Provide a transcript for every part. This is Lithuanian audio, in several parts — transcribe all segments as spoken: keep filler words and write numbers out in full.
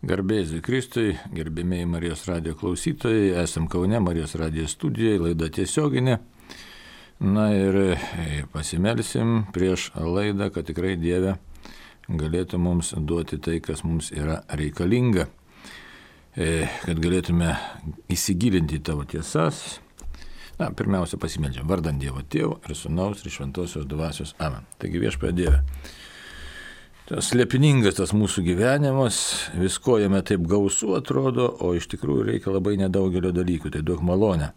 Garbėsiu Kristui, gerbėmiai Marijos radijo klausytojai, esam Kaune Marijos radijo studijoje, laida tiesioginė. Na ir pasimelsim prieš laidą, kad tikrai Dieve galėtų mums duoti tai, kas mums yra reikalinga, kad galėtume įsigilinti į tavo tiesas. Na, pirmiausia pasimeldžiam, vardant Dievo Tėvo ir Sūnaus ir Šventosios Dvasios. Amen. Taigi Viešpatie Dieve. Tas slėpiningas tas mūsų gyvenimas, visko jame taip gausu atrodo, o iš tikrųjų reikia labai nedaugelio dalykų, tai duok malonę.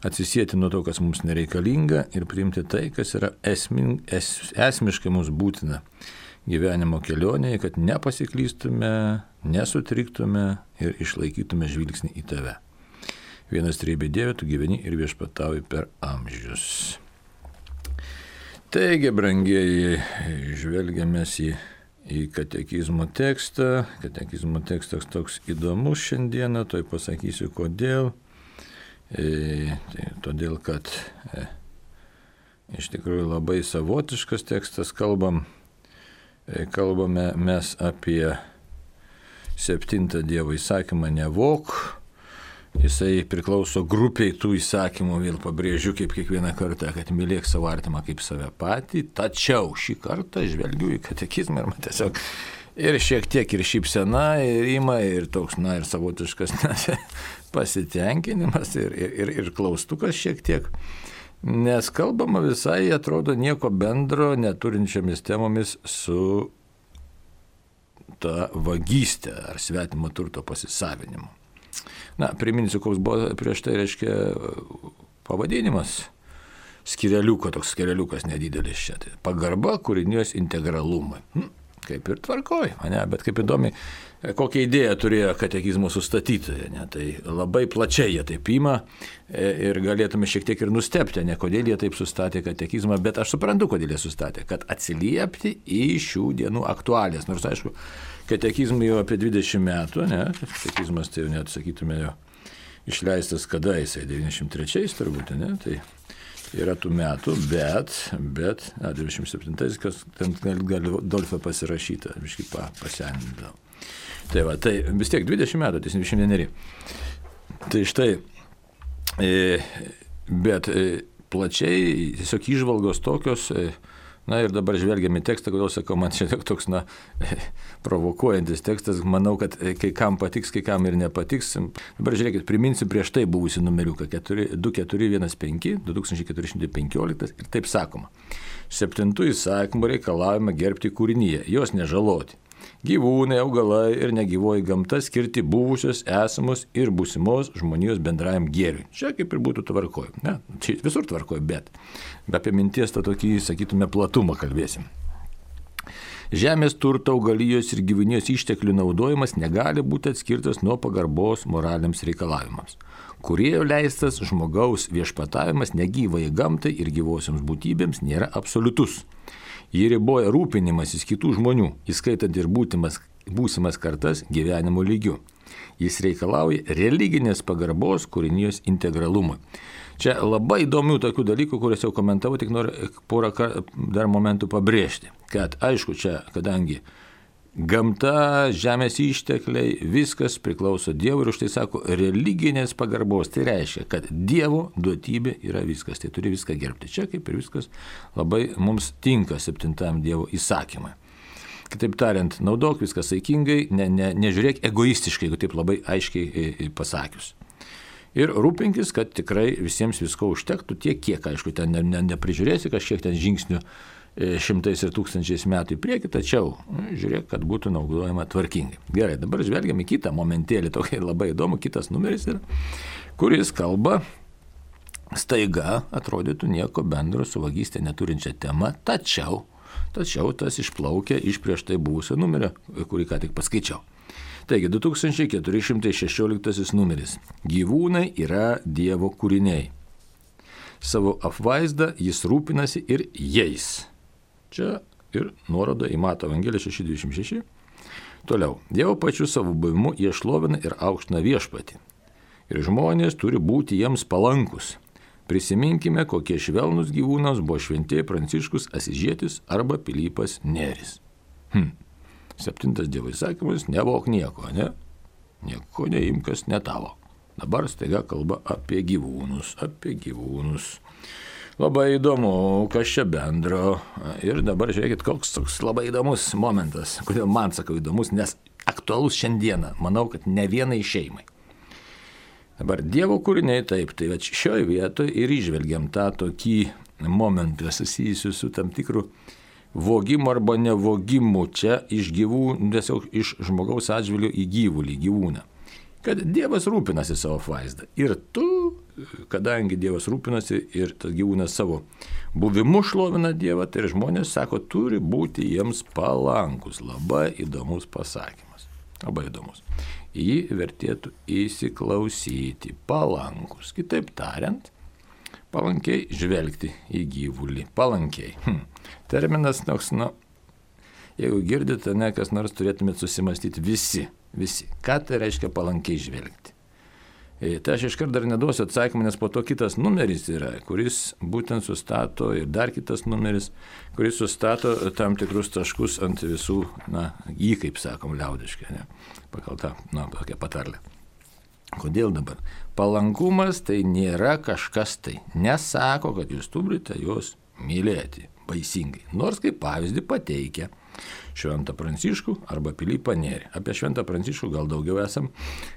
Atsisieti nuo to, kas mums nereikalinga ir priimti tai, kas yra esmin, es, esmiškai mums būtina gyvenimo kelionėje, kad nepasiklystume, nesutriktume ir išlaikytume žvilgsnį į tave. Vienas trejybė Dieve, tu gyveni ir viešpatauji per amžius. Taigi, brangieji, žvelgiamės į į katekizmo tekstą. Katekizmo tekstas toks įdomus šiandieną, toj pasakysiu kodėl. E, tai, todėl, kad e, iš tikrųjų labai savotiškas tekstas, kalbam, e, kalbame mes apie septintą Dievo įsakymą nevok. Jisai priklauso grupiai tų įsakymų, vėl pabrėžiu kaip kiekvieną kartą, kad mylėk savo artimą kaip save patį, tačiau šį kartą žvelgiu į katekizmą ir man tiesiog ir šiek tiek ir šypsena, ir ima, ir toks, na, ir savotiškas na, pasitenkinimas, ir, ir, ir klaustukas šiek tiek, nes kalbama visai, atrodo, nieko bendro neturinčiamis temomis su ta vagystė ar svetimo turto pasisavinimu. Na, priminsiu, koks buvo prieš tai, reiškia, pavadinimas skireliuko, toks skireliukas nedidelis čia. Tai pagarba kūrinijos integralumui. Hm, kaip ir tvarkoj, ne, bet kaip įdomi, kokią idėją turėjo katekizmo sustatytoje. Ne, tai labai plačiai jie taip ima ir galėtume šiek tiek ir nustebti, ne kodėl jie taip sustatė katekizmą, bet aš suprantu, kodėl jie sustatė, kad atsiliepti į šių dienų aktualijas. Nors, aišku, katekizmui jau apie dvidešimt metų, ne, katekizmas tai jau net, sakytume, jo išleistas kada jisai, devyniasdešimt trečiais turbūt, ne, tai yra tų metų, bet, bet, na, devyniasdešimt septintais, kas ten gali Dolfą pasirašyta, biškai pa, pasendindavo. Tai va, tai vis tiek dvidešimt metų, tai dvidešimt vieneri. Tai štai, e, bet e, plačiai tiesiog įžvalgos tokios, e, na ir dabar žvelgiam į tekstą, kodėl sakau, man čia toks, na, provokuojantis tekstas, manau, kad kai kam patiks, kai kam ir nepatiks. Dabar žiūrėkit, priminsiu prieš tai buvusi numeriuką du keturi vienas penki du tūkstančiai keturi šimtai penkioliktas ir taip sakoma. Septintų įsakymų reikalaujama gerbti kūrinyje, jos nežaloti. Gyvūnai, augalai ir negyvoji gamta skirti buvusios, esamos ir būsimos žmonijos bendrajam gėriui. Čia kaip ir būtų tvarkoj. Ne, čia visur tvarkoj, bet apie minties tą tokį, sakytume, platumą kalbėsim. Žemės turto, augalijos ir gyvūnijos išteklių naudojimas negali būti atskirtas nuo pagarbos moraliams reikalavimams. Kūrėjo leistas žmogaus viešpatavimas negyvai gamtai ir gyvosioms būtybėms nėra absoliutus. Jį riboja rūpinimasis kitų žmonių, įskaitant ir būtimas, būsimas kartas gyvenimo lygiu. Jis reikalauja religinės pagarbos kūrinijos integralumui. Čia labai įdomių tokių dalykų, kuriuos jau komentavau, tik noriu porą dar momentų pabrėžti. Kad aišku, čia, kadangi gamta, žemės ištekliai, viskas priklauso Dievui ir už tai sako religinės pagarbos. Tai reiškia, kad Dievo duotybė yra viskas, tai turi viską gerbti. Čia kaip ir viskas labai mums tinka septintam Dievo įsakymui. Kitaip tariant, naudok viską saikingai, ne, ne, nežiūrėk egoistiškai, jeigu taip labai aiškiai pasakius. Ir rūpinkis, kad tikrai visiems visko užtektų tiek, kiek, aišku, ten ne, ne, neprižiūrėsi kažkiek ten žingsnių šimtais ir tūkstančiais metų į priekį, tačiau žiūrėk, kad būtų naudojama tvarkingai. Gerai, dabar žvelgiam į kitą momentėlį, tokį labai įdomu, kitas numeris yra, kuris kalba staiga, atrodytų nieko bendro su vagystė neturinčia tema, tačiau, tačiau tas išplaukia iš prieš tai buvusio numerio, kurį ką tik paskaičiau. Taigi, du tūkstančiai keturi šimtai šešioliktasis numeris. Gyvūnai yra Dievo kūriniai. Savo apvaizdą jis rūpinasi ir jais. Čia ir nuoroda į Mato Evangeliją šeši dvidešimt šeši. Toliau. Dievo pačiu savo buvimu jie šlovina ir aukština viešpatį. Ir žmonės turi būti jiems palankus. Prisiminkime, kokie švelnus gyvūnams buvo šventieji Pranciškus Asižietis arba Pilypas Nėris. Hm. Septintas Dievo įsakymas, nevok nieko, ne? nieko neimk, kas ne tavo. Dabar staiga kalba apie gyvūnus, apie gyvūnus. Labai įdomu, kas čia bendro. Ir dabar žiūrėkit, koks toks labai įdomus momentas. Kodėl man sakau įdomus, nes aktualus šiandieną. Manau, kad ne vienai šeimai. Dabar Dievo kūriniai taip, tai šioje vietoje ir išvelgiam tą tokį momentą susijusiu su tam tikru vogimu arba nevogimu čia iš gyvūnų, tiesiog iš žmogaus atžvilgių į gyvulį, gyvūną. Kad Dievas rūpinasi savo vaizdą. Ir tu, kadangi Dievas rūpinasi ir tas gyvūnas savo buvimu šlovina Dievą, tai žmonės sako, turi būti jiems palankus. Labai įdomus pasakymas. Labai įdomus. Į jį vertėtų įsiklausyti. Palankus. Kitaip tariant, palankiai žvelgti į gyvulį. Palankiai. Hm. Terminas toks, nu, jeigu girdite, ne, kas nors turėtumėte susimastyti visi. Visi. Ką tai reiškia palankiai žvelgti? E, tai aš iškart dar neduosiu atsakymą, nes po to kitas numeris yra, kuris būtent sustato ir dar kitas numeris, kuris sustato tam tikrus taškus ant visų, na, jį, kaip sakom, liaudiškai, ne, pagal tą, na, tokią patarlę. Kodėl dabar? Palankumas tai nėra kažkas tai. Nesako, kad jūs turite juos mylėti baisingai. Nors kaip pavyzdį pateikia Šventą Pranciškų arba Pilypą Nėrį. Apie Šventą Pranciškų gal daugiau esam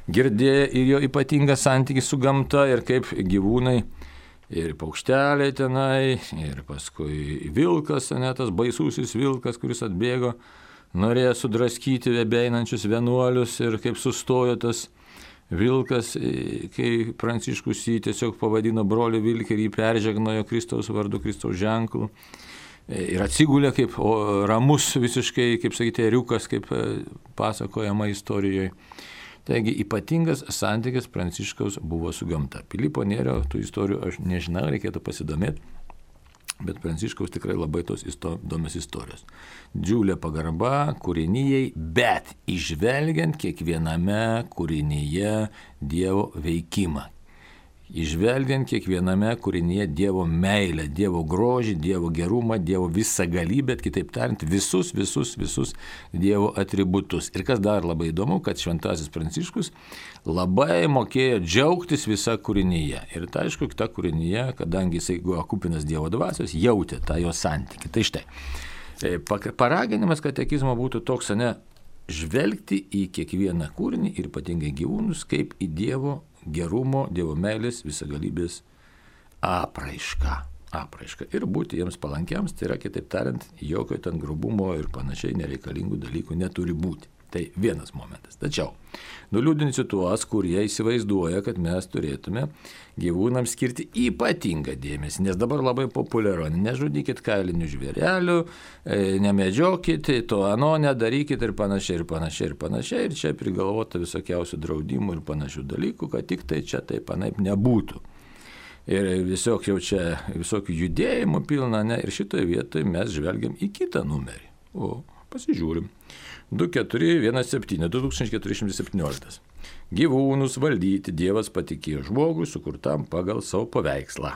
girdėję ir jo ypatingą santykį su gamta ir kaip gyvūnai ir paukšteliai tenai, ir paskui vilkas, ne, tas baisusis vilkas, kuris atbėgo, norėjo sudraskyti vebeinančius vienuolius ir kaip sustojo tas vilkas, kai Pranciškus jį tiesiog pavadino broliu vilkį ir jį peržegnojo Kristaus vardu, Kristaus ženklu. Ir atsigulė kaip o, ramus visiškai, kaip sakyti, ėriukas, kaip pasakojama istorijoje. Taigi ypatingas santykis Pranciškaus buvo su gamta. Pilypo Nėrio tų istorijų aš nežinau, reikėtų pasidomėti, bet Pranciškaus tikrai labai tos įdomios istorijos. Džiulė pagarba kūrinijai, bet išvelgiant kiekviename kūrinyje Dievo veikimą. Išvelgiant kiekviename kūrinyje Dievo meilę, Dievo grožį, Dievo gerumą, Dievo visagalybę, kitaip tariant, visus, visus, visus Dievo atributus. Ir kas dar labai įdomu, kad Šventasis Pranciškus labai mokėjo džiaugtis visa kūrinyje. Ir tai aišku, ta kūrinyje, kadangi jisai buvo kupinas Dievo dvasios, jautė tą jo santykį. Tai štai, paraginimas katekizmo būtų toks, ne, žvelgti į kiekvieną kūrinį ir ypatingai gyvūnus, kaip į Dievo gerumo, Dievo meilės, visagalybės apraišką. apraišką. Ir būti jiems palankiams, tai yra, kitaip tariant, jokio ten grubumo ir panašiai nereikalingų dalykų neturi būti. Tai vienas momentas. Tačiau nuliūdinsiu tuos, kurie įsivaizduoja, kad mes turėtume gyvūnams skirti ypatingą dėmesį, nes dabar labai populiaru, nežudykit kailinių žvėrelių, nemedžiokit, to ano nedarykit ir panašiai, ir panašiai, ir panašiai, ir čia prigalvota visokiausių draudimų ir panašių dalykų, kad tik tai čia taip anaip nebūtų. Ir visokių čia, visokių judėjimų pilna, ne, ir šitoje vietoje mes žvelgiam į kitą numerį. O pasižiūrim. du keturi vienas septyni du tūkstančiai keturi šimtai septyniolika. Gyvūnus valdyti Dievas patikėjo žmogui, sukurtam pagal savo paveikslą.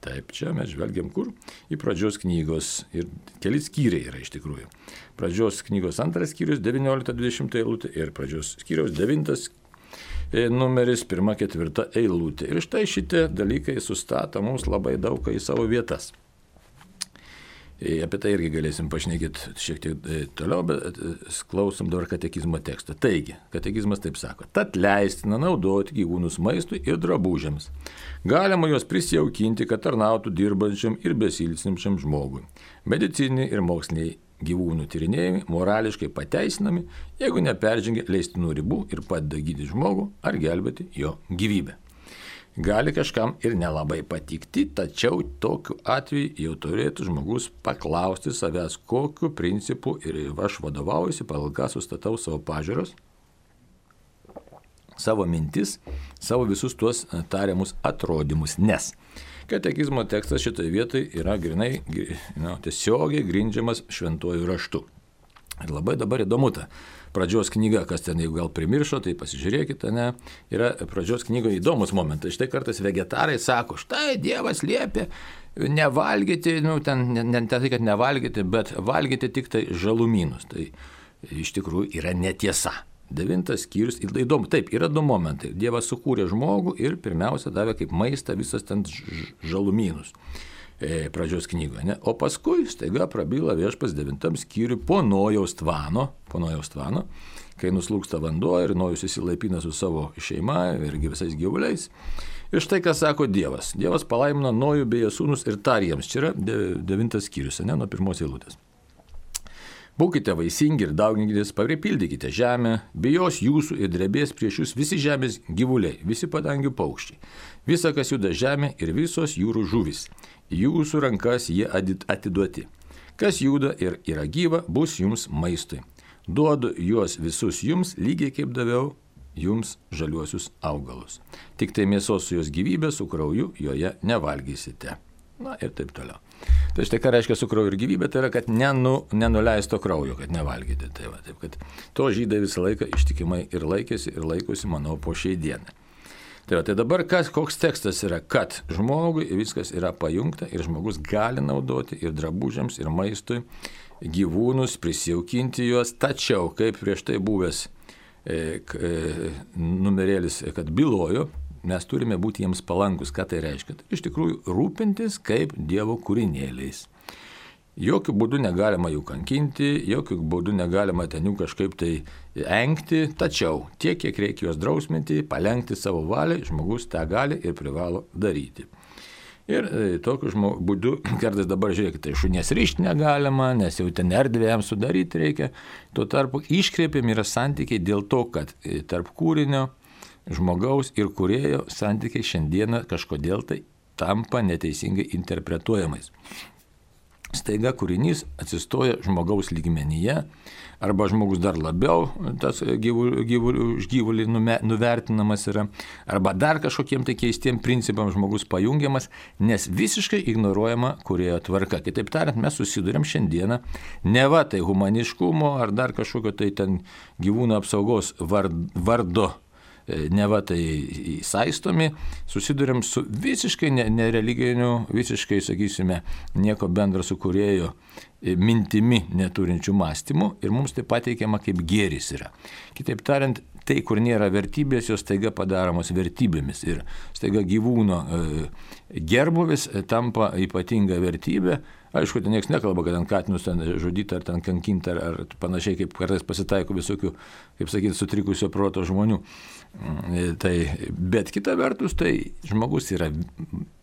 Taip, čia mes žvelgiam kur? Į pradžios knygos. Ir keli skyriai yra iš tikrųjų. Pradžios knygos antras skyrius, devyniolikta dvidešimta eilutė ir pradžios skyriaus devintas numeris, pirma ketvirta eilutė. Ir štai šitie dalykai sustato mums labai daug į savo vietas. Apie tai irgi galėsim pašnekėti šiek tiek toliau, bet klausom dabar katekizmo tekstą. Taigi, katekizmas taip sako, tad leistina naudoti gyvūnus maistui ir drabužiams. Galima juos prisijaukinti, kad tarnautų dirbančiam ir besilsinčiam žmogui. Medicininiai ir moksliniai gyvūnų tyrinėjimai morališkai pateisinami, jeigu neperžengia leistinų ribų ir padeda gydyti žmogų ar gelbėti jo gyvybę. Gali kažkam ir nelabai patikti, tačiau tokiu atveju jau turėtų žmogus paklausti savęs, kokiu principu ir aš vadovaujuosi, pagal ką sustatau savo pažiūros, savo mintis, savo visus tuos tariamus atrodymus. Nes katekizmo tekstas šitoje vietoje yra grinai, nu, tiesiogiai grindžiamas šventuoju raštu. Ir labai dabar įdomu ta pradžios knyga, kas ten, jeigu gal primiršo, tai pasižiūrėkite, ne, yra pradžios knygoje įdomus momentas. Štai kartais vegetarai sako, štai Dievas liepia nevalgyti, nu, ten, ne, ne tai, kad nevalgyti, bet valgyti tik tai žalumynus. Tai iš tikrųjų yra netiesa. Devintas skyrius, įdomu, taip, yra du momentai. Dievas sukūrė žmogų ir pirmiausia davė kaip maistą visas ten žalumynus e, pradžios knygoje. Ne? O paskui staiga prabyla viešpas devintam skyriui po Nojaus tvano, po Nojaus tvano, kai nuslūksta vanduo ir Nojus įsilaipina su savo šeima irgi visais gyvuliais. Ir štai ką sako Dievas. Dievas palaimino Nojų bei jo sūnus ir tarė jiems. Čia yra devintas skyrius, ne, nuo pirmos eilutės. Būkite vaisingi ir dauginkitės, pripildykite žemę, bijos jūsų ir drebės prieš jūs visi žemės gyvuliai, visi padangių paukščiai, visa, kas juda žemė ir visos jūrų žuvis. Jūsų rankas jie atiduoti. Kas juda ir yra gyva, bus jums maistui. Duodu juos visus jums, lygiai kaip daviau jums žaliuosius augalus. Tik tai mėsos su jos gyvybė, su krauju joje nevalgysite. Na ir taip toliau. Tai štai ką reiškia su krauju ir gyvybė, tai yra, kad nenu, nenuleisto kraujo, kad nevalgyti. Tai va, taip, kad to žydai visą laiką ištikimai ir laikėsi, ir laikosi, manau, po šiai dienai. Tai va, tai dabar kas, koks tekstas yra, kad žmogui viskas yra pajungta ir žmogus gali naudoti ir drabužiams, ir maistui gyvūnus, prisijaukinti juos, tačiau, kaip prieš tai buvęs e, e, numerėlis, kad bylojo, mes turime būti jiems palankus. Ką tai reiškia? Tai iš tikrųjų rūpintis kaip Dievo kūrinėliais. Jokių būdų negalima jų kankinti, jokių būdų negalima ten jų kažkaip tai engti, tačiau tiek, kiek reikia juos drausminti, palengti savo valiai, žmogus tą gali ir privalo daryti. Ir e, tokiu žmog, būdu, kartais dabar žiūrėkite, tai šunies rišti negalima, nes jau ten erdvėm sudaryti reikia. Tuo tarpu iškreipiami yra santykiai dėl to, kad e, tarp kūrinio, žmogaus ir kūrėjo santykiai šiandieną kažkodėl tai tampa neteisingai interpretuojamais. Staiga kūrinys atsistoja žmogaus lygmenyje, arba žmogus dar labiau tas gyvulį, gyvulį, gyvulį nuvertinamas yra, arba dar kažkokiem tai keistiem principam žmogus pajungiamas, nes visiškai ignoruojama kūrėjo tvarka. Kitaip tariant, mes susidurėm šiandieną neva tai humaniškumo ar dar kažkokio tai ten gyvūnų apsaugos vardo neva tai saistomi, susidurėm su visiškai nereliginiu, visiškai, sakysime, nieko bendro su kūrėjo mintimi neturinčių mąstymų ir mums tai pateikiama kaip gėris yra. Kitaip tariant, tai, kur nėra vertybės, jos staiga padaromos vertybėmis ir staiga gyvūno gerbuvis tampa ypatinga vertybė. Aišku, ten niekas nekalba, kad ant katinus ten žudyti ar ten kankinti ar, ar panašiai, kaip kartais pasitaiko visokių, kaip sakyti, sutrikusio proto žmonių. Tai, bet kita vertus, tai žmogus yra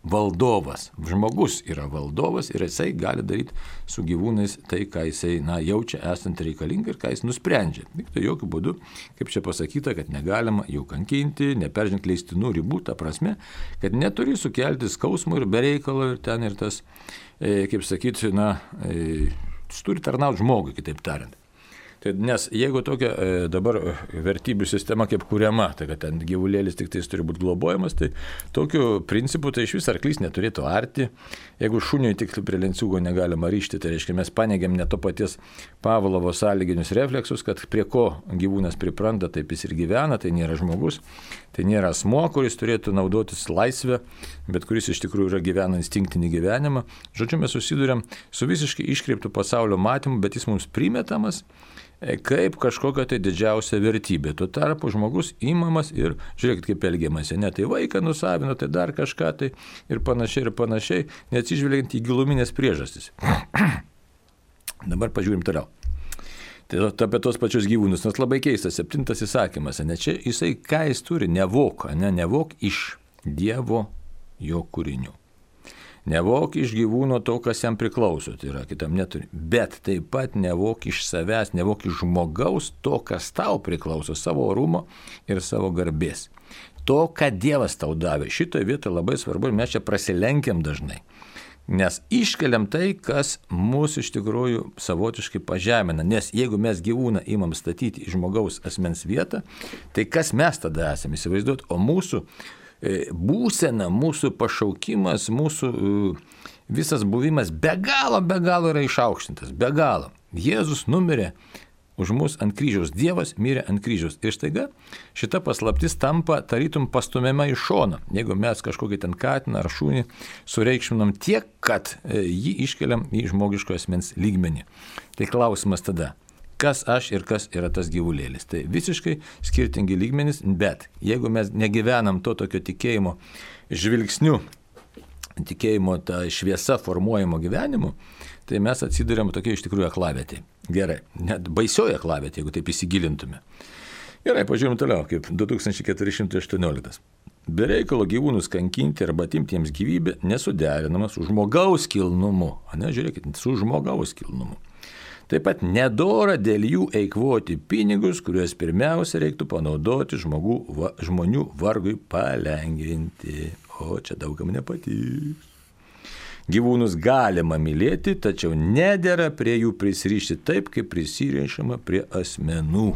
valdovas. Žmogus yra valdovas ir jisai gali daryti su gyvūnais tai, ką jisai na, jaučia esant reikalinga ir ką jis nusprendžia. Tik tai jokių būdų, kaip čia pasakyta, kad negalima jų kankinti, neperžengti leistinų ribų, ta prasme, kad neturi sukelti skausmų ir bereikalo ir ten ir tas, e, kaip sakyti, na, e, turi tarnauti žmogui, kitaip tariant. Tai nes jeigu tokia e, dabar vertybių sistema kaip kuriama, tai kad ten gyvulėlis tik tais turi būti globojamas, tai tokiu principu tai iš vis arklys neturėtų arti. Jeigu šuniui tik prie lenciūgo negalima ryžti, tai reiškia mes paneigiam ne to paties Pavlovo sąlyginius refleksus, kad prie ko gyvūnas pripranta, taip jis ir gyvena, tai nėra žmogus, tai nėra asmuo, kuris turėtų naudotis laisvę, bet kuris iš tikrųjų yra gyvena instinktinį gyvenimą. Žodžiu, mes susiduriam su visiškai iškreiptų pasaulio matymu, bet jis mums primetamas kaip kažkokia tai didžiausia vertybė. Tuo tarpu žmogus įmamas ir žiūrėkit, kaip elgiamasi. Ne, tai vaiką nusavino, tai dar kažką tai ir panašiai ir panašiai, neatsižvelgiant į giluminės priežastis. Dabar pažiūrim toliau. Tai apie tos pačius gyvūnus, nes labai keistas septintas įsakymas, ne čia jisai ką jis turi, nevok, ne, nevok iš Dievo jo kūrinių. Nevok iš gyvūno to, kas jam priklauso, tai yra kitam neturi. Bet taip pat nevok iš savęs, nevok iš žmogaus to, kas tau priklauso, savo orumo ir savo garbės. To, ką Dievas tau davė. Šitoje vietoje labai svarbu ir mes čia prasilenkiam dažnai. Nes iškeliam tai, kas mūsų iš tikrųjų savotiškai pažemina. Nes jeigu mes gyvūną imam statyti į žmogaus asmens vietą, tai kas mes tada esame, įsivaizduot, o mūsų būsena, mūsų pašaukimas, mūsų visas buvimas be galo, be galo yra išaukštintas, be galo. Jėzus numirė už mus ant kryžiaus, Dievas mirė ant kryžiaus. Ir staiga šita paslaptis tampa tarytum pastumiama į šoną. Jeigu mes kažkokį ten katiną ar šunį sureikšminam tiek, kad jį iškeliam į žmogiško asmens lygmenį. Tai klausimas tada, kas aš ir kas yra tas gyvulėlis. Tai visiškai skirtingi lygmenys, bet jeigu mes negyvenam to tokio tikėjimo žvilgsniu, tikėjimo tą šviesą formuojamo gyvenimu, tai mes atsiduriam tokia iš tikrųjų aklavietė. Gerai, net baisioji aklavietė, jeigu taip įsigilintume. Gerai, pažiūrėjom toliau, kaip du tūkstančiai keturi šimtai aštuonioliktas. Be reikalo gyvūnus kankinti arba atimti jiems gyvybę nesuderinama su žmogaus kilnumu. A ne, žiūrėkit, su žmogaus kilnumu. Taip pat nedora dėl jų eikvoti pinigus, kuriuos pirmiausia reiktų panaudoti žmogų, va, žmonių vargui palengvinti. O čia daugam nepatiks. Gyvūnus galima mylėti, tačiau nedera prie jų prisirišti taip, kaip prisirišama prie asmenų.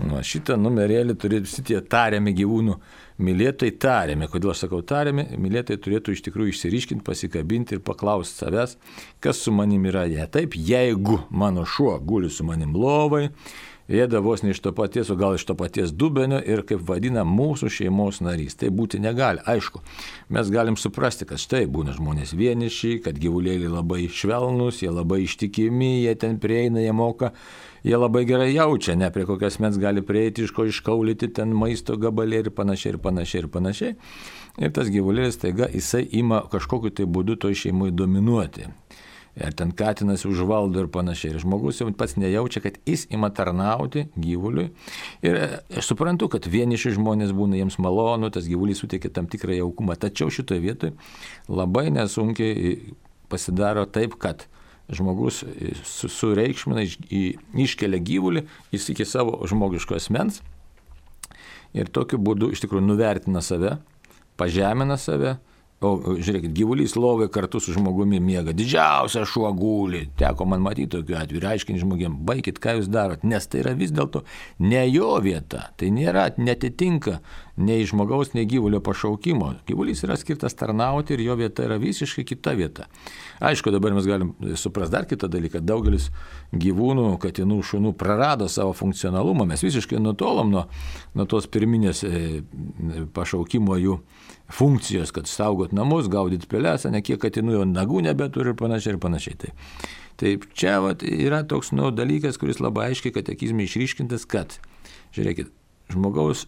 Nu, šitą numerėlį turėtų visi tie tariami gyvūnų mylėtojai tariami. Kodėl aš sakau tariami? Mylėtojai turėtų iš tikrųjų išsiriškinti, pasikabinti ir paklausti savęs, kas su manim yra. Ja, taip, jeigu mano šuo guli su manim lovai, ėda vos ne iš to paties, o gal iš to paties dubenio ir kaip vadina mūsų šeimos narys. Tai būti negali. Aišku, mes galim suprasti, kad štai būna žmonės vieniši, kad gyvulėliai labai švelnus, jie labai ištikimi, jie ten prieina, jie moka, jie labai gerai jaučia, ne prie kokias mens gali prieiti, iš ko iškaulyti ten maisto gabalė ir panašiai, ir panašiai, ir panašiai. Ir tas gyvulėlis taiga, jisai ima kažkokiu tai būdu toj šeimui dominuoti. Ir ten katinas užvaldo ir panašiai. Ir žmogus jau pats nejaučia, kad jis ima tarnauti gyvuliui. Ir aš suprantu, kad vieniši žmonės būna jiems malonu, tas gyvulys suteikia tam tikrą jaukumą. Tačiau šitoje vietoje labai nesunkiai pasidaro taip, kad žmogus sureikšmina, iškelia gyvulį, jis iki savo žmogiško asmens ir tokiu būdu iš tikrųjų nuvertina save, pažemina save. O žiūrėkit, gyvulys lovai kartu su žmogumi miega. Didžiausia šuo guli. Teko man matyti tokiu atveju ir aiškinti žmonėm, baikit, ką jūs darot, nes tai yra vis dėlto ne jo vieta. Tai nėra, netitinka nei žmogaus, nei gyvulio pašaukimo. Gyvulys yra skirtas tarnauti ir jo vieta yra visiškai kita vieta. Aišku, dabar mes galim suprasti dar kitą dalyką. Daugelis gyvūnų, katinų, šunų prarado savo funkcionalumą. Mes visiškai nutolom nuo, nuo tos pirminės e, pašaukimo jų funkcijos, kad saugot namus, gaudyti pelėsą, ne kiek katinų jau nagų nebeturi ir panašiai ir panašiai. Tai, tai čia vat, yra toks nu, dalykas, kuris labai aiškiai katekizme išryškintas, kad, žiūrėkit, žmogaus,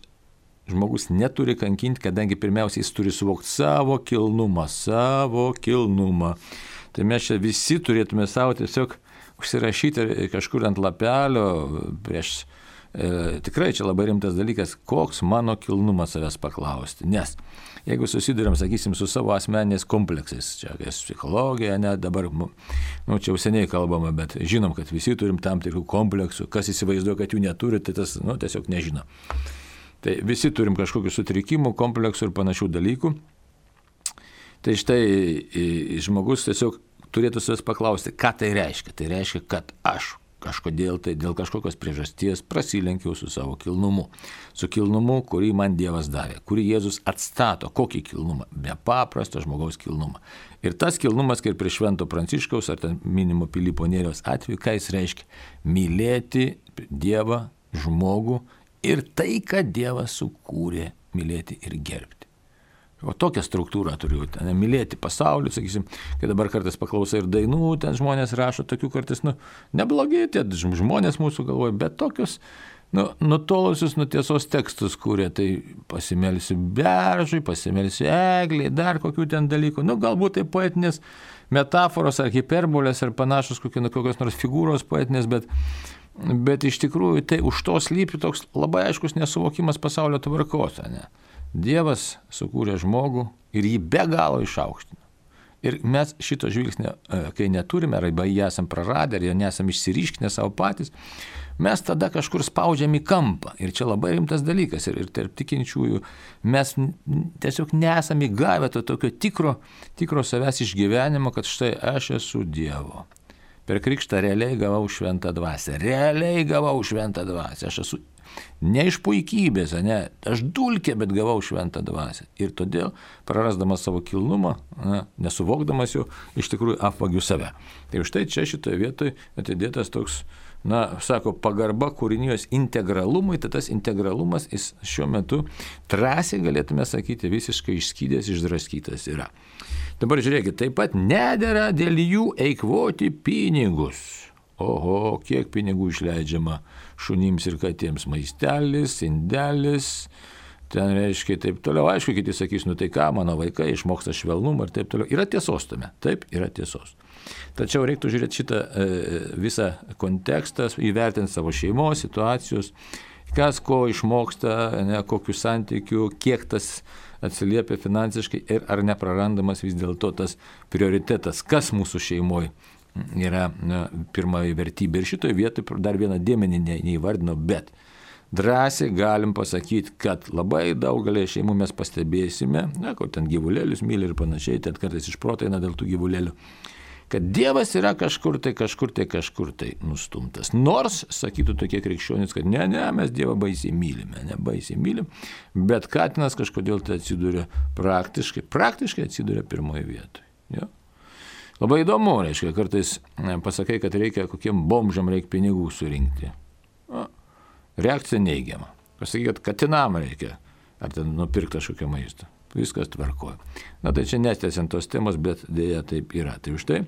žmogus neturi kankinti, kadangi pirmiausiai jis turi suvokti savo kilnumą, savo kilnumą. Tai mes čia visi turėtume savo tiesiog užsirašyti kažkur ant lapelio prieš. E, tikrai čia labai rimtas dalykas, koks mano kilnumas savęs paklausti. Nes jeigu susidurėm, sakysim, su savo asmeniniais kompleksais, čia psichologija, ne, dabar, nu, čia jau seniai kalbama, bet žinom, kad visi turim tam tikrų kompleksų, kas įsivaizduoja, kad jų neturi, tai tas, nu, tiesiog nežino. Tai visi turim kažkokių sutrikimų, kompleksų ir panašių dalykų. Tai štai žmogus tiesiog turėtų savęs paklausti, ką tai reiškia. Tai reiškia, kad aš kažkodėl tai dėl kažkokios priežasties prasilenkiau su savo kilnumu. Su kilnumu, kurį man Dievas davė, kurį Jėzus atstato. Kokį kilnumą? Nepaprastą žmogaus kilnumą. Ir tas kilnumas, kaip prie Švento Pranciškaus ar ten minimo Pilypo Nėriaus atveju, ką jis reiškia? Mylėti Dievą, žmogų ir tai, kad Dievas sukūrė, mylėti ir gerbti. O tokią struktūrą turiu, ten, mylėti pasaulį, sakysim, kai dabar kartais paklausai ir dainų, ten žmonės rašo tokių kartais, nu, neblogi tie žmonės mūsų galvoja, bet tokius, nu, nutolusius nuo tiesos tekstus kūrė, tai pasimelsiu beržui, pasimelsiu egliai, dar kokių ten dalykų, nu, galbūt tai poetinės metaforos ar hiperbolės ar panašus kokios nors figūros poetinės, bet, bet iš tikrųjų tai už to slypi toks labai aiškus nesuvokimas pasaulio tvarkos, ne? Dievas sukūrė žmogų ir jį be galo išaukštino. Ir mes šito žvilgsnio, kai neturime, arba jį esam praradę, ar jį nesam išsiriškinę savo patys, mes tada kažkur spaudžiam į kampą. Ir čia labai rimtas dalykas. Ir, ir tarp tikinčiųjų mes tiesiog nesam įgavę to tokio tikro, tikro savęs išgyvenimo, kad štai aš esu Dievo. Per krikštą realiai gavau šventą dvasią. Realiai gavau šventą dvasią. Aš esu ne iš puikybės, ne, aš dulkė, bet gavau šventą dvasią. Ir todėl, prarasdamas savo kilnumą, ne, nesuvokdamas jo, iš tikrųjų apvagiu save. Tai štai čia šitoje vietoje atidėtas toks, na, sako, pagarba kūrinijos integralumui, tai tas integralumas jis šiuo metu drąsiai galėtume sakyti visiškai išskydęs, išdraskytas yra. Dabar žiūrėkit, taip pat nedera dėl jų eikvoti pinigus. oho, kiek pinigų išleidžiama šunims ir katėms, maistelis, indelis, ten reiškia taip toliau. Aišku, kiti sakys, nu tai ką, mano vaikai išmoksta švelnumą ir taip toliau. Yra tiesos tame, taip, yra tiesos. Tačiau reiktų žiūrėti šitą e, visą kontekstą, įvertinti savo šeimos, situacijos, kas ko išmoksta, ne, kokių santykių, kiek tas atsiliepia finansiškai ir ar neprarandamas vis dėlto tas prioritetas, kas mūsų šeimoje yra na, pirmoji vertybė. Ir šitoje vietoje dar vieną dėmenį ne, neįvardino, bet drąsiai galim pasakyti, kad labai daugelį šeimų mes pastebėsime, na, kur ten gyvulėlius myli ir panašiai, ten kartais išprotaina dėl tų gyvulėlių, kad Dievas yra kažkur tai, kažkur tai, kažkur tai nustumtas. Nors, sakytų tokie krikščionys, kad ne, ne, mes Dievą baisiai mylime, ne baisiai mylim, bet katinas kažkodėl tai atsiduria praktiškai, praktiškai atsiduria pirmoje vietoje. Jo? Labai įdomu, reiškia, kartais pasakai, kad reikia kokiem bomžam reikia pinigų surinkti. O, reakcija neigiama. Pasakai, kad katinam reikia, ar ten nupirkti kažkokią maistą. Viskas tvarkoja. Na tai čia nestęsiant tos temos, bet dėja taip yra. Tai už tai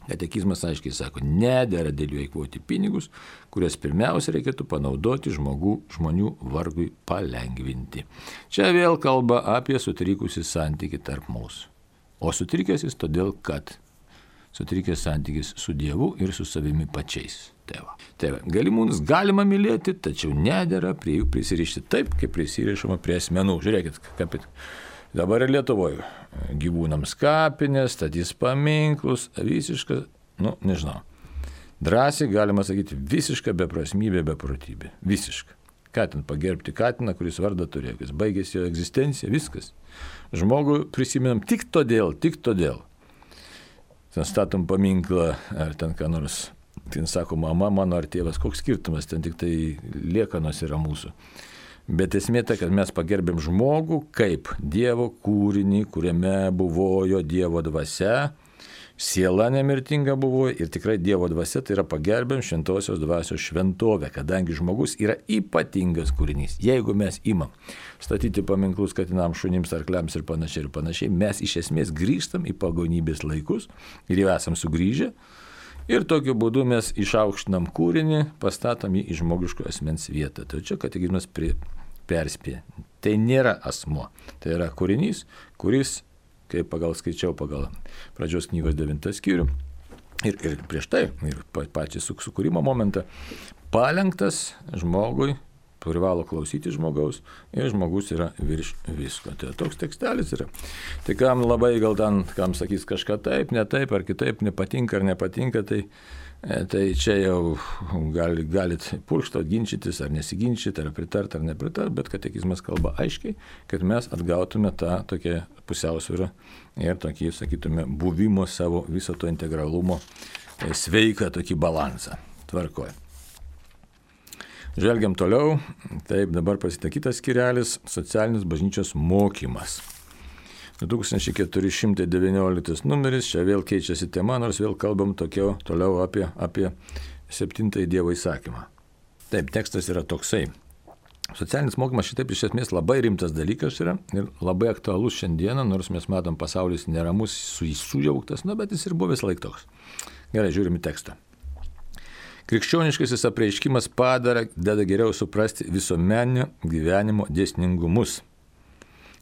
katekizmas aiškiai sako, nedera dėl jų eikvoti pinigus, kurias pirmiausia reikėtų panaudoti žmogų, žmonių vargui palengvinti. Čia vėl kalba apie sutrikusį santykį tarp mūsų. O sutrikęs jis todėl, kad sutrikęs santykis su Dievu ir su savimi pačiais. Tai va. Tai va. Galimus galima mylėti, tačiau nedera prie jų prisirišti taip, kaip prisirišama prie asmenų. Žiūrėkit, kaip dabar ir Lietuvoje gyvūnams kapinės, statys paminklus, visiška, nu, nežinau. Drąsiai galima sakyti visiška beprasmybė, beprotybė. Visiška. Ką ten pagerbti katiną, kuris vardą turėjo, jis baigėsi jo egzistencija, viskas. Žmogų prisimenam tik todėl, tik todėl. Ten statom paminklą, ar ten ką nors, ten sako, mama mano ar tėvas, koks skirtumas, ten tik tai liekanos yra mūsų. Bet esmė ta, kad mes pagerbėm žmogų kaip Dievo kūrinį, kuriame buvojo Dievo dvasia, siela nemirtinga buvo ir tikrai Dievo dvasia, tai yra pagerbėm šventosios dvasios šventovę, kadangi žmogus yra ypatingas kūrinys. Jeigu mes imam statyti paminklus katinams, šunims, arkliams ir panašiai ir panašiai, mes iš esmės grįžtam į pagonybės laikus ir jau esam sugrįžę. Ir tokiu būdu mes išaukštinam kūrinį, pastatom jį į žmogiško asmens vietą. Tai čia katekizmas perspėja. Tai nėra asmuo. Tai yra kūrinys, kuris, kaip pagal skaičiau, pagal pradžios knygos devintą skyrių, ir, ir prieš tai, ir pačią sukūrimo momentą, palenktas žmogui, privalo klausyti žmogaus ir žmogus yra virš visko. Tai toks tekstelis yra. Tai kam labai gal ten, kam sakys kažką taip, ne taip, ar kitaip, nepatinka ar nepatinka, tai, tai čia jau gali, galit purkštot, ginčytis ar nesiginčyti, ar pritart ar nepritart, bet katekizmas kalba aiškiai, kad mes atgautume tą tokią pusiausvyrą ir tokį, sakytume, buvimo savo viso to integralumo sveiką tokį balansą. Tvarkoja. Žvelgiam toliau, taip dabar prasideda kitas skyrelis – socialinis bažnyčios mokymas. du tūkstančiai keturi šimtai devynioliktas numeris, čia vėl keičiasi tema, nors vėl kalbam tokio, toliau apie, apie septintąjį Dievo įsakymą. Taip, tekstas yra toksai. Socialinis mokymas šitaip iš esmės labai rimtas dalykas yra ir labai aktualus šiandieną, nors mes matom pasaulis neramus, sujauktas, nu, bet jis ir buvo vis laik toks. Gerai, žiūrime tekstą. Krikščioniškasis apreiškimas padara, deda geriau suprasti visuomeninio gyvenimo dėsningumus.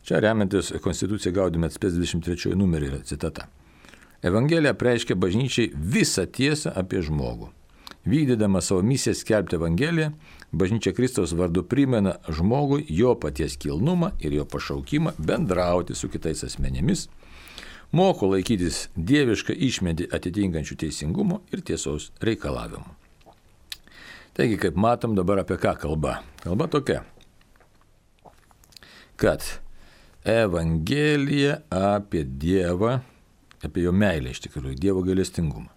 Čia remiantis Konstituciją Gaudium et Spes dvidešimt trečiąjį numerį yra citata. Evangelija apreiškia bažnyčiai visą tiesą apie žmogų. Vykdydama savo misiją skelbti Evangeliją, bažnyčia Kristaus vardu primena žmogui jo paties kilnumą ir jo pašaukimą bendrauti su kitais asmenimis, moko laikytis dievišką išmintį atitinkančių teisingumo ir tiesos reikalavimų. Taigi, kaip matom dabar apie ką kalba. Kalba tokia, kad Evangelija apie Dievą, apie jo meilę iš tikrųjų, Dievo gailestingumą.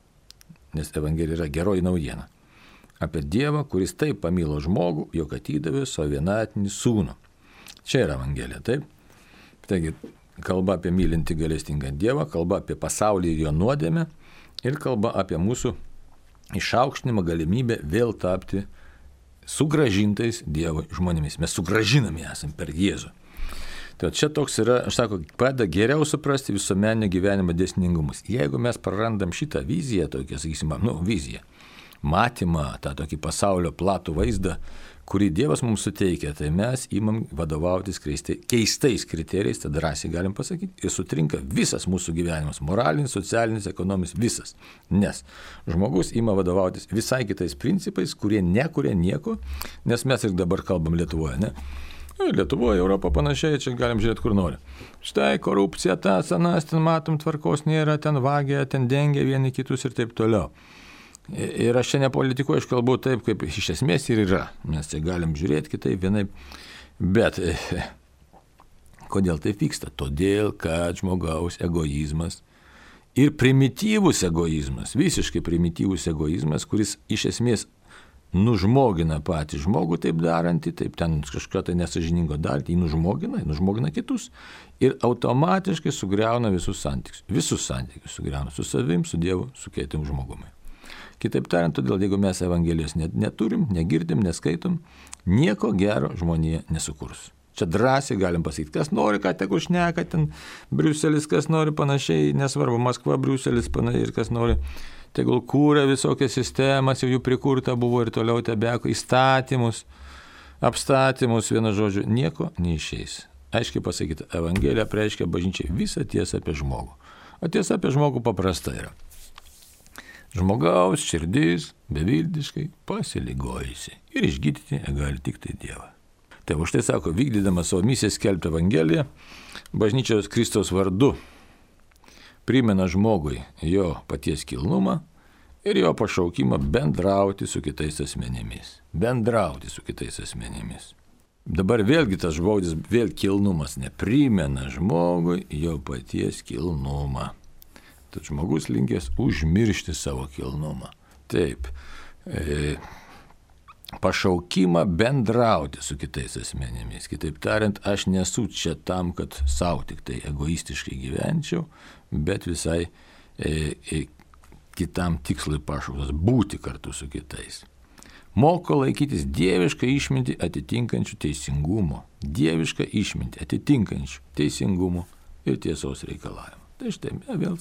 Nes Evangelija yra geroji naujiena. Apie Dievą, kuris taip pamilo žmogų, jog atidavė savo vienatinį sūnų. Čia yra Evangelija, taip? Taigi, kalba apie mylintį gailestingą Dievą, kalba apie pasaulį ir jo nuodėmę ir kalba apie mūsų išaukštinimą galimybę vėl tapti sugražintais Dievo žmonėmis. Mes sugražinami esam per Jėzų. Tai čia toks yra, aš sako, padeda geriau suprasti visuomeninio gyvenimo dėsningumus. Jeigu mes prarandam šitą viziją, tokią, sakysim, nu, viziją, matymą, tą tokį pasaulio platų vaizdą, kurį Dievas mums suteikia, tai mes imam vadovautis keistais kriterijais, tada drąsiai galim pasakyti, ir sutrinka visas mūsų gyvenimas, moralinis, socialinis, ekonominis, visas. Nes žmogus ima vadovautis visai kitais principais, kurie nekuria nieko, nes mes ir dabar kalbam Lietuvoje, ne? Lietuvoje, Europą panašiai, čia galim žiūrėti, kur nori. Štai korupcija, tas, anas, ten matom, tvarkos nėra, ten vagia, ten dengia vieni kitus ir taip toliau. Ir aš čia nepolitikuoju, aš kalbu taip, kaip iš esmės ir yra. Mes čia galim žiūrėti kitaip, vienaip. Bet kodėl taip vyksta? Todėl, kad žmogaus egoizmas ir primityvus egoizmas, visiškai primityvus egoizmas, kuris iš esmės nužmogina patį žmogų taip darantį, taip ten kažką tai nesažiningo daryti, jį nužmogina, nužmogina kitus ir automatiškai sugriauna visus santykius. Visus santykius sugriauna su savim, su Dievu, su kitim žmogumi. Kitaip tariant, todėl jeigu mes Evangelijos neturim, negirdim, neskaitom, nieko gero žmonija nesukurs. Čia drąsiai galim pasakyti, kas nori, ką tegu šneka, ten Briuselis, kas nori panašiai, nesvarbu, Maskva, Briuselis, panašiai, ir kas nori, tegul kūrė visokias sistemas, jau jų prikurta buvo ir toliau tebeko, įstatymus, apstatymus, vienu žodžiu, nieko neišeis. Aiškiai pasakyti, Evangelija reiškia bažnyčiai visą tiesą apie žmogų. O tiesa apie žmogų paprasta yra. Žmogaus širdis beviltiškai pasiligojusi ir išgydyti gali tik tai Dievą. Tai už tai sako, vykdydama savo misiją skelbti Evangeliją, bažnyčios Kristaus vardu primena žmogui jo paties kilnumą ir jo pašaukimą bendrauti su kitais asmenimis. Bendrauti su kitais asmenimis. Dabar vėlgi tas žodis, vėl kilnumas, neprimena žmogui jo paties kilnumą. Tad žmogus linkęs užmiršti savo kilnumą. Taip, e, pašaukimą bendrauti su kitais asmenimis. Kitaip tariant, aš nesu čia tam, kad savo tik tai egoistiškai gyvenčiau, bet visai e, e, kitam tikslui pašauktas būti kartu su kitais. Moko laikytis dievišką išmintį atitinkančių teisingumo. Dievišką išmintį atitinkančių teisingumo ir tiesos reikalavimų. Tai štai vėl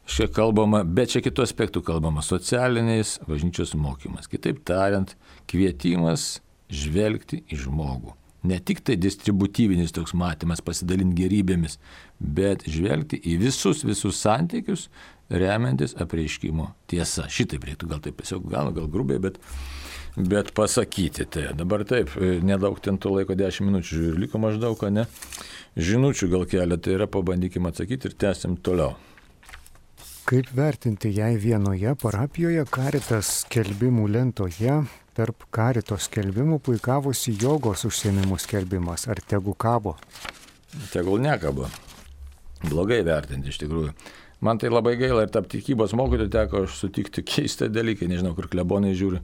čia kalbama, bet čia kitų aspektų kalbama, socialiniais bažnyčios mokymas. Kitaip tariant, kvietimas žvelgti į žmogų. Ne tik tai distributyvinis toks matymas, pasidalinti gerybėmis, bet žvelgti į visus, visus santykius, remiantis apreiškimo tiesa. Šitaip reiktų, gal taip tiesiog, gal, gal grubiai, bet, bet pasakyti. Tai dabar taip, nedaug ten to laiko, dešimt minučių žiūrėjau, liko maždaug, ne? Žinučių gal keletą yra, pabandykime atsakyti ir tęsim toliau. Kaip vertinti, jei vienoje parapijoje Caritas skelbimų lentoje tarp Carito skelbimų puikavosi jogos užsiėmimų skelbimas, ar tegu kabo? Tegul nekabo. Blogai vertinti iš tikrųjų. Man tai labai gaila ir tarp tikybos mokytojų teko sutikti keistą dalyką, nežinau, kur klebonai žiūri.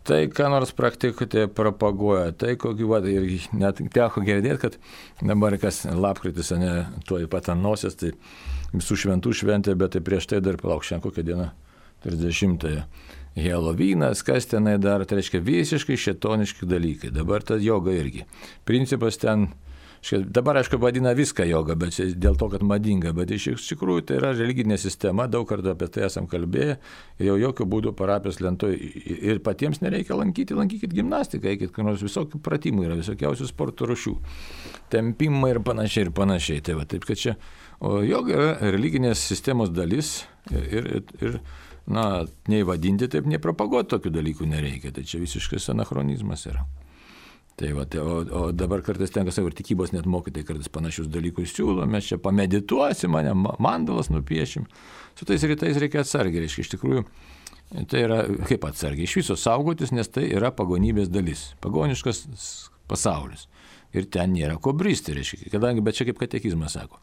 Tai, ką nors praktikuoti propaguoja, tai kokį, va, ir net teko girdėti, kad dabar kas lapkritis, ne, tuoj pat ant nosies, tai visų šventų šventė, bet tai prieš tai dar palauk, šiandien kokią dieną, trisdešimtąją. Helovynas, kas tenai dar, tai reiškia visiškai šėtoniški dalykai. Dabar ta joga irgi. Principas ten, dabar aišku vadina viską joga, bet dėl to, kad madinga, bet iš tikrųjų tai yra religinė sistema, daug kartų apie tai esam kalbėję, ir jau jokių būdų parapijos lentoje ir patiems nereikia lankyti, lankykit gimnastiką, eikit, kai nors visokių pratimų yra, visokiausių sporto rūšių, tempimai ir panašiai ir panašiai. Tai va, taip, kad čia, o joga yra religinės sistemos dalis ir, ir, ir na, nei vadinti taip, nei propaguoti tokių dalykų nereikia, tai čia visiškas anachronizmas yra. Tai va, tai, o, o dabar kartais tenka savo ir tikybos net mokytai, kartais panašius dalykus siūlo, mes čia pamedituosim, mane mandalas nupiešim. Su tais rytais reikia atsargiai, reiškia, iš tikrųjų, tai yra kaip atsargiai, iš viso saugotis, nes tai yra pagonybės dalis, pagoniškas pasaulis. Ir ten nėra ko bristi, reiškia, kadangi, bet čia kaip katekizmas sako,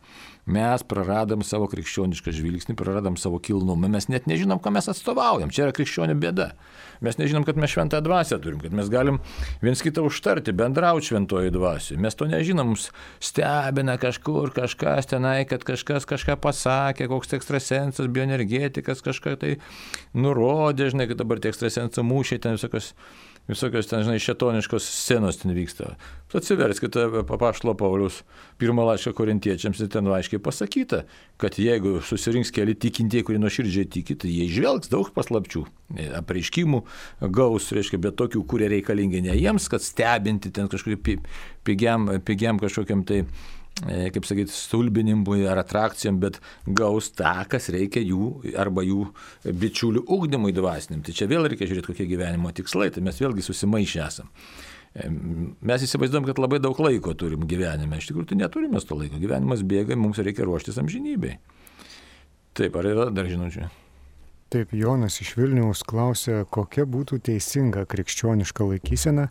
mes praradam savo krikščionišką žvilgsnį, praradam savo kilnumą, mes net nežinom, ką mes atstovaujam, čia yra krikščionių bėda. Mes nežinom, kad mes šventą dvasią turim, kad mes galim viens kitą užtarti, bendrauti šventoji dvasiai. Mes to nežinom, mums stebina kažkur kažkas tenai, kad kažkas kažką pasakė, koks ekstrasensas, bioenergetikas kažką tai nurodė, žinai, kad dabar tie ekstrasensų mūšiai ten visokios visokios ten, žinai, šėtoniškos scenos ten vyksta. Atsiverskite apaštalo Pauliaus pirmą laišką korintiečiams ir ten aiškiai pasakyta, kad jeigu susirinks keli tikintieji, kurie nuoširdžiai tiki, tai jie žvelgs daug paslapčių, apreiškimų gaus, reiškia, bet tokių, kurie reikalingi ne jiems, kad stebinti ten kažkokiu pigiam, pigiam kažkokiam tai, kaip sakyti, stulbinimui ar atrakcijom, bet gaus tą, kas reikia jų arba jų bičiulių ugdymui dvasiniam. Tai čia vėl reikia žiūrėti, kokie gyvenimo tikslai, tai mes vėlgi susimaišę esam. Mes įsivaizduojam, kad labai daug laiko turim gyvenime. Iš tikrųjų, tai neturime to laiko. Gyvenimas bėga, mums reikia ruoštis amžinybei. Taip, ar yra dar žinučių? Taip, Jonas iš Vilniaus klausė, kokia būtų teisinga krikščioniška laikysena,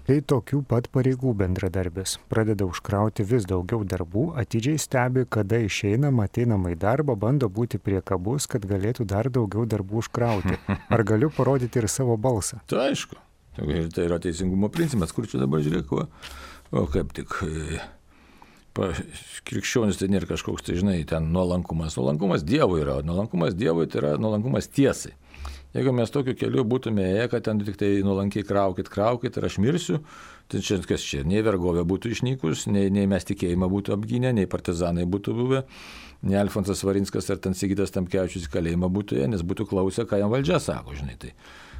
kai tokių pat pareigų bendradarbis pradeda užkrauti vis daugiau darbų, atidžiai stebi, kada išeinama, ateinama į darbą, bando būti priekabus, kad galėtų dar daugiau darbų užkrauti. Ar galiu parodyti ir savo balsą? Tai aišku. Tai yra teisingumo principas, kur čia dabar žiūrėk, o, o kaip tik pa, krikščionis tai nėra kažkoks, tai žinai, ten nuolankumas. Nuolankumas Dievui yra, nuolankumas Dievui tai yra nuolankumas tiesai. Jeigu mes tokiu keliu būtume ėję, kad ten tik tai nuolankiai kraukit, kraukit ir aš mirsiu, tai čia kas čia, nei vergovė būtų išnykus, nei, nei mes tikėjimą būtų apgynę, nei partizanai būtų buvę, nei Alfonsas Varinskas ar ten Sigitas Tamkevičius į kalėjimą būtų ėję, nes būtų klausę, ką jam valdžia sako, žinai. Tai.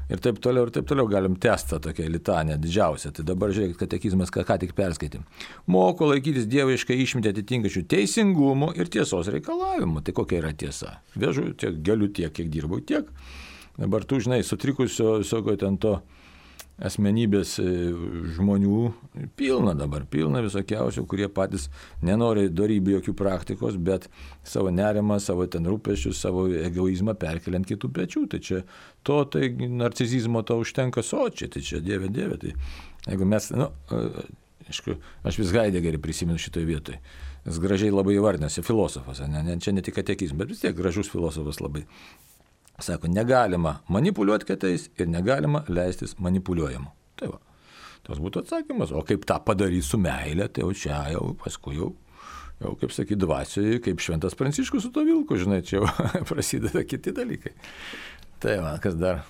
Ir taip toliau, ir taip toliau galim testą tokią litanę didžiausią. Tai dabar žiūrėkit, katekizmas, ką, ką tik perskaitėm. Moko laikytis dieviškai išmintį atitinkančių teisingumų ir tiesos reikalavimų. Tai kokia yra tiesa? Vežu tiek, galiu tiek, kiek dirbau, tiek. Dabar tu, žinai, sutrikusio visokio ten to asmenybės žmonių pilna dabar, pilna visokiausių, kurie patys nenori darybių jokių praktikos, bet savo nerimą, savo ten rūpesčius, savo egoizmą perkeliant kitų pečių. Tai čia to, tai narcizizmo to užtenka sočiai, tai čia dieve, dieve. Tai jeigu mes, nu, aišku, aš vis Haidegerį prisimenu šitoje vietoje. Jis gražiai labai įvardinasi, filosofas, ne, ne, čia ne tik katekizmas, bet vis tiek gražus filosofas labai. Sako, negalima manipuliuoti kitais ir negalima leistis manipuliuojamu. Tai va, tas būtų atsakymas. O kaip tą padaryti su meilė, tai jau čia jau paskui jau, jau kaip sakyti, dvasioje, kaip šventas Pranciškus su to vilku, žinai, čia jau prasideda kiti dalykai. Tai va, kas dar?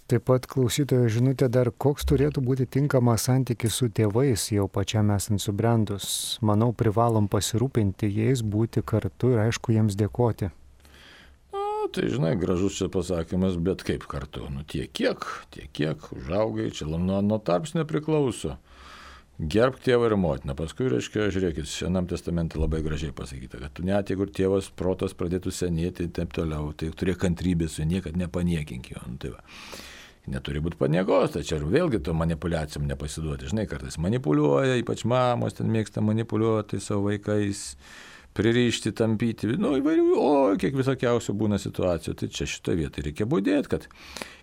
Taip pat klausytojo žinutė dar, koks turėtų būti tinkamas santykis su tėvais, jau pačiam esant subrendus. Manau, privalom pasirūpinti jais, būti kartu ir aišku jiems dėkoti. Tai, žinai, gražus čia pasakymas, bet kaip kartu? Nu, tiek kiek, tiek kiek, užaugai, čia nuo, nuo tarpsnio priklauso. Gerbk tėvą ir motiną. Paskui, reiškia, žiūrėkit, Senam testamente labai gražiai pasakyta, kad tu net jeigu tėvas protas pradėtų senėti ir taip toliau, tai turėk kantrybės su niekad nepaniekink jo. Nu, tai va. Neturi būti paniekos, tai čia vėlgi to manipuliacijom nepasiduoti. Žinai, kartais manipuliuoja, ypač mamos ten mėgsta manipuliuoti savo vaikais, pririšti, tampyti, nu įvairių, o kiek visokiausių būna situacijų. Tai čia šitoje vietoje reikia būdėti, kad,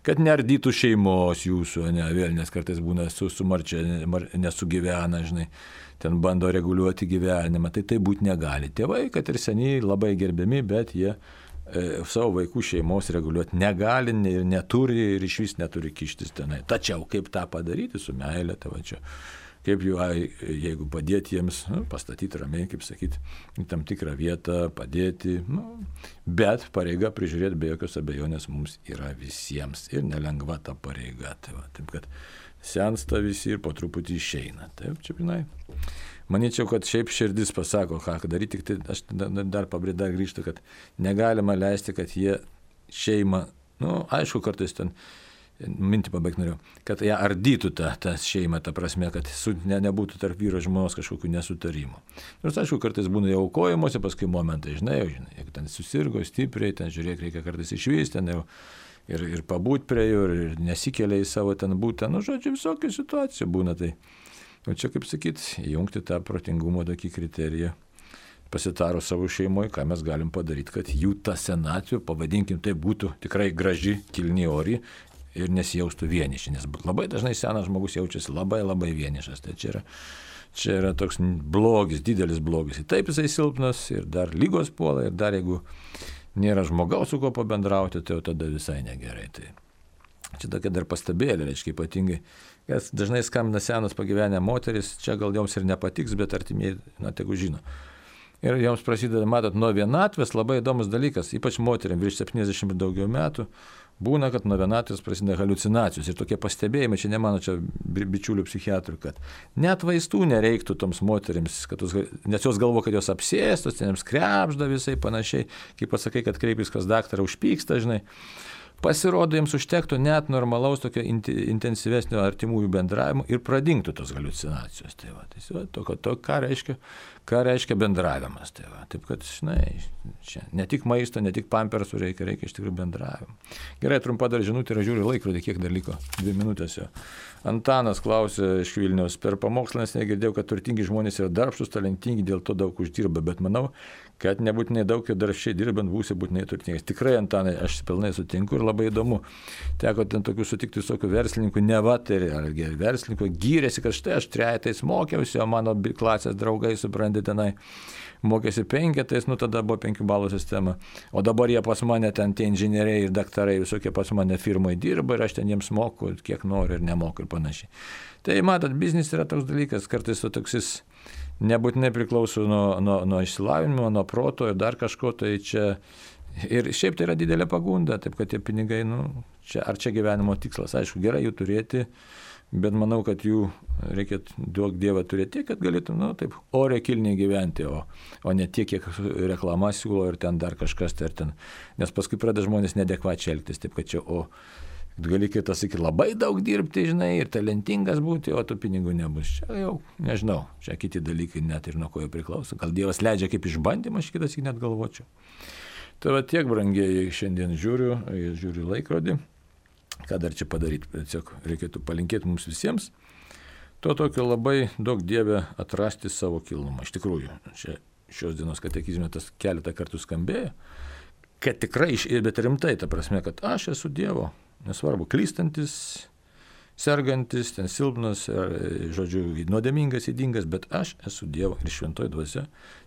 kad neardytų šeimos jūsų, ne, vėl, nes kartais būna su, su marčia nesugyvena, žinai, ten bando reguliuoti gyvenimą, tai tai būti negali. Tėvai, kad ir seniai labai gerbiami, bet jie e, savo vaikų šeimos reguliuoti negali ir neturi ir iš vis neturi kištis tenai. Tačiau kaip tą padaryti su meilė, tai va čia. Kaip jų, jeigu padėti jiems, nu, pastatyti ramiai, kaip sakyti, į tam tikrą vietą, padėti, nu, bet pareiga prižiūrėti be jokios abejonės mums yra visiems ir nelengva ta pareiga. Tai va, taip, kad sensta visi ir po truputį išeina. Taip, čia, pinai. Manyčiau, kad šiaip širdis pasako, ką daryti, tik tai aš dar pabrėdą grįžtu, kad negalima leisti, kad jie šeimą, nu, aišku, kartais ten mintį pabaigti noriu, kad ją ardytų tą, tą šeimą, ta prasme, kad su, ne, nebūtų tarp vyro žmonos kažkokių nesutarimų. Nors, aišku, kartais būna jau aukojimuose, paskui momentai, žinai, jau, žinai, jeigu ten susirgo stipriai, ten žiūrėk, reikia kartais išvysti, ten jau ir, ir pabūt prie jų, ir nesikelia į savo ten būtą, nu, žodžiu, visokių situacijų būna. Tai, o čia, kaip sakyt, įjungti tą protingumo tokį kriteriją, pasitarus savo šeimoje, ką mes galim padaryti, kad jų ta senatvė, pavadinkim, tai būtų tikrai graži, kilni ori, ir nesijaustų vieniši, nes labai dažnai senas žmogus jaučiasi labai labai vienišas. Tai čia yra, čia yra toks blogis, didelis blogis. Ir taip jisai silpnas ir dar lygos puola ir dar jeigu nėra žmogaus, su kuo pabendrauti, tai jau tada visai negerai. Tai čia tokia dar pastabėlė, reiškia ypatingai, kas dažnai skambina senas pagyvenę moteris, čia gal joms ir nepatiks, bet artimieji, na, tegu žino. Ir joms prasideda, matot, nuo vienatvės labai įdomus dalykas, ypač moteriam virš septyniasdešimt ir daugiau metų, būna, kad nuo vienatvės prasideda haliucinacijos ir tokie pastebėjimai, čia ne mano, čia bičiulių psichiatrų, kad net vaistų nereiktų toms moterims, kad jos, nes jos galvo, kad jos apsėstos, ten jiems krepžda visai panašiai, kaip pasakai, kad kreipis kas daktarą užpyksta, žinai. Pasirodo, jiems užtektų net normalaus tokio intensyvesnio artimųjų bendravimo ir pradingtų tos haliucinacijos. Tai va, tai to, to, ką, reiškia, ką reiškia bendravimas. Tai va, taip kad, žinai, čia ne tik maisto, ne tik pampersų reikia, reikia iš tikrųjų bendravimo. Gerai, trumpa dar žinutė ir žiūriu laikrodį, kiek dar liko, dvi minutės jo. Antanas klausė iš Vilniaus, per pamokslą nes negirdėjau, kad turtingi žmonės yra darbštus, talentingi, dėl to daug uždirba, bet manau, kad nebūtinai daug ir darbščiai dirbant būsi būtinai turtingas. Tikrai, Antanai, aš pilnai sutinku ir labai įdomu. Teko ten tokių sutikti visokių verslininkų, nevaterį, ar verslininkų, gyrėsi, kad štai aš trejetais mokiausi, o mano klasės draugai, supranti, tenai mokėsi penketais, nu tada buvo penkių balų sistema. O dabar jie pas mane ten tie inžinieriai ir daktarai visokie pas mane firmoje dirba ir aš ten jiems moku, kiek noriu ir nemoku ir panašiai. Tai matot, biznis yra toks dalykas, kartais to toksis nebūtinai priklauso nuo, nuo, nuo išsilavinimo, nuo proto ir dar kažko, tai čia ir šiaip tai yra didelė pagunda, taip kad tie pinigai, nu, čia, ar čia gyvenimo tikslas, aišku, gerai jų turėti, bet manau, kad jų reikia duok Dievą turėti tiek, kad galėtum, nu, taip, oriai kilniai gyventi, o, o ne tiek, kiek reklama siūlo ir ten dar kažkas, tai ten, nes paskui pradeda žmonės nedekvačiai elgtis, taip kad čia, o gali kitas sakyti, labai daug dirbti, žinai, ir talentingas būti, o tų pinigų nebus. Čia jau, nežinau, čia kiti dalykai net ir nuo ko jų priklauso. Gal Dievas leidžia kaip išbandymą, aš kitas net galvočiau. Tai va tiek, brangieji, šiandien žiūriu, žiūriu laikrodį, ką dar čia padaryti. Tiesiog reikėtų palinkėti mums visiems. To tokio labai daug Dieve atrasti savo kilnumą. Iš tikrųjų, čia šios dienos katekizme tas keletą kartų skambėjo, kad tikrai, bet rimtai, ta prasme, kad aš esu Dievo. Nesvarbu, klystantis, sergantis, ten silpnas, žodžiu, nuodėmingas, ydingas, bet aš esu Dievo ir šventoji dvasia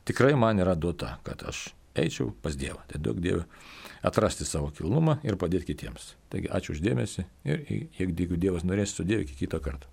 tikrai man yra duota, kad aš eičiau pas Dievą. Tai daug Dievą atrasti savo kilnumą ir padėti kitiems. Taigi ačiū uždėmesi ir jeigu Dievas norės, su Dievu iki kito karto.